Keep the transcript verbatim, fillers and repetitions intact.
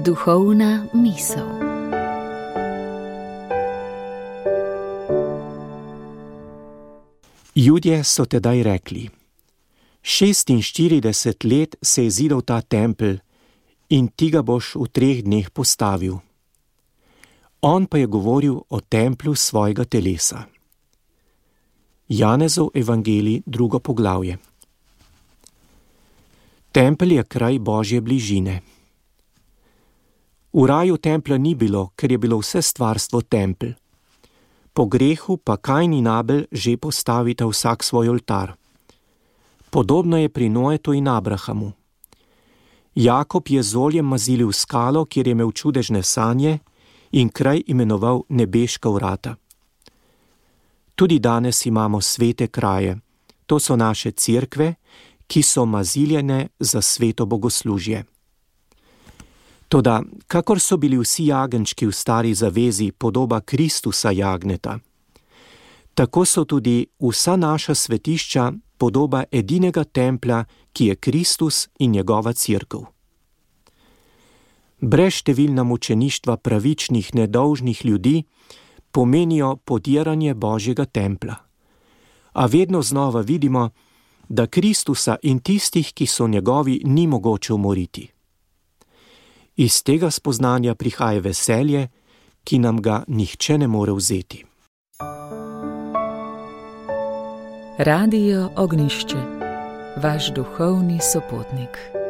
Duhovna misel. Judje so tedaj rekli: šestinštirideset let se je zidal ta tempelj in ti ga boš v treh dneh postavil. On pa je govoril o templju svojega telesa. Janezov evangelij, drugo poglavje. Tempelj je kraj Božje bližine. V raju templja ni bilo, ker je bilo vse stvarstvo tempelj. Po grehu pa Kain in Abel že postavita vsak svoj oltar. Podobno je pri Noetu in Abrahamu. Jakob je z oljem mazilil skalo, kjer je imel čudežne sanje, in kraj imenoval Nebeška vrata. Tudi danes imamo svete kraje. To so naše cerkve, ki so maziljene za sveto bogoslužje. Toda, kakor so bili vsi jagenjčki v stari zavezi podoba Kristusa jagneta, tako so tudi vsa naša svetišča podoba edinega templja, ki je Kristus in njegova cerkev. Brezštevilna mučeništva pravičnih, nedolžnih ljudi pomenijo podiranje Božjega templja. A vedno znova vidimo, da Kristusa in tistih, ki so njegovi, ni mogoče umoriti. Iz tega spoznanja prihaja veselje, ki nam ga nihče ne more vzeti. Radio Ognjišče, vaš duhovni sopotnik.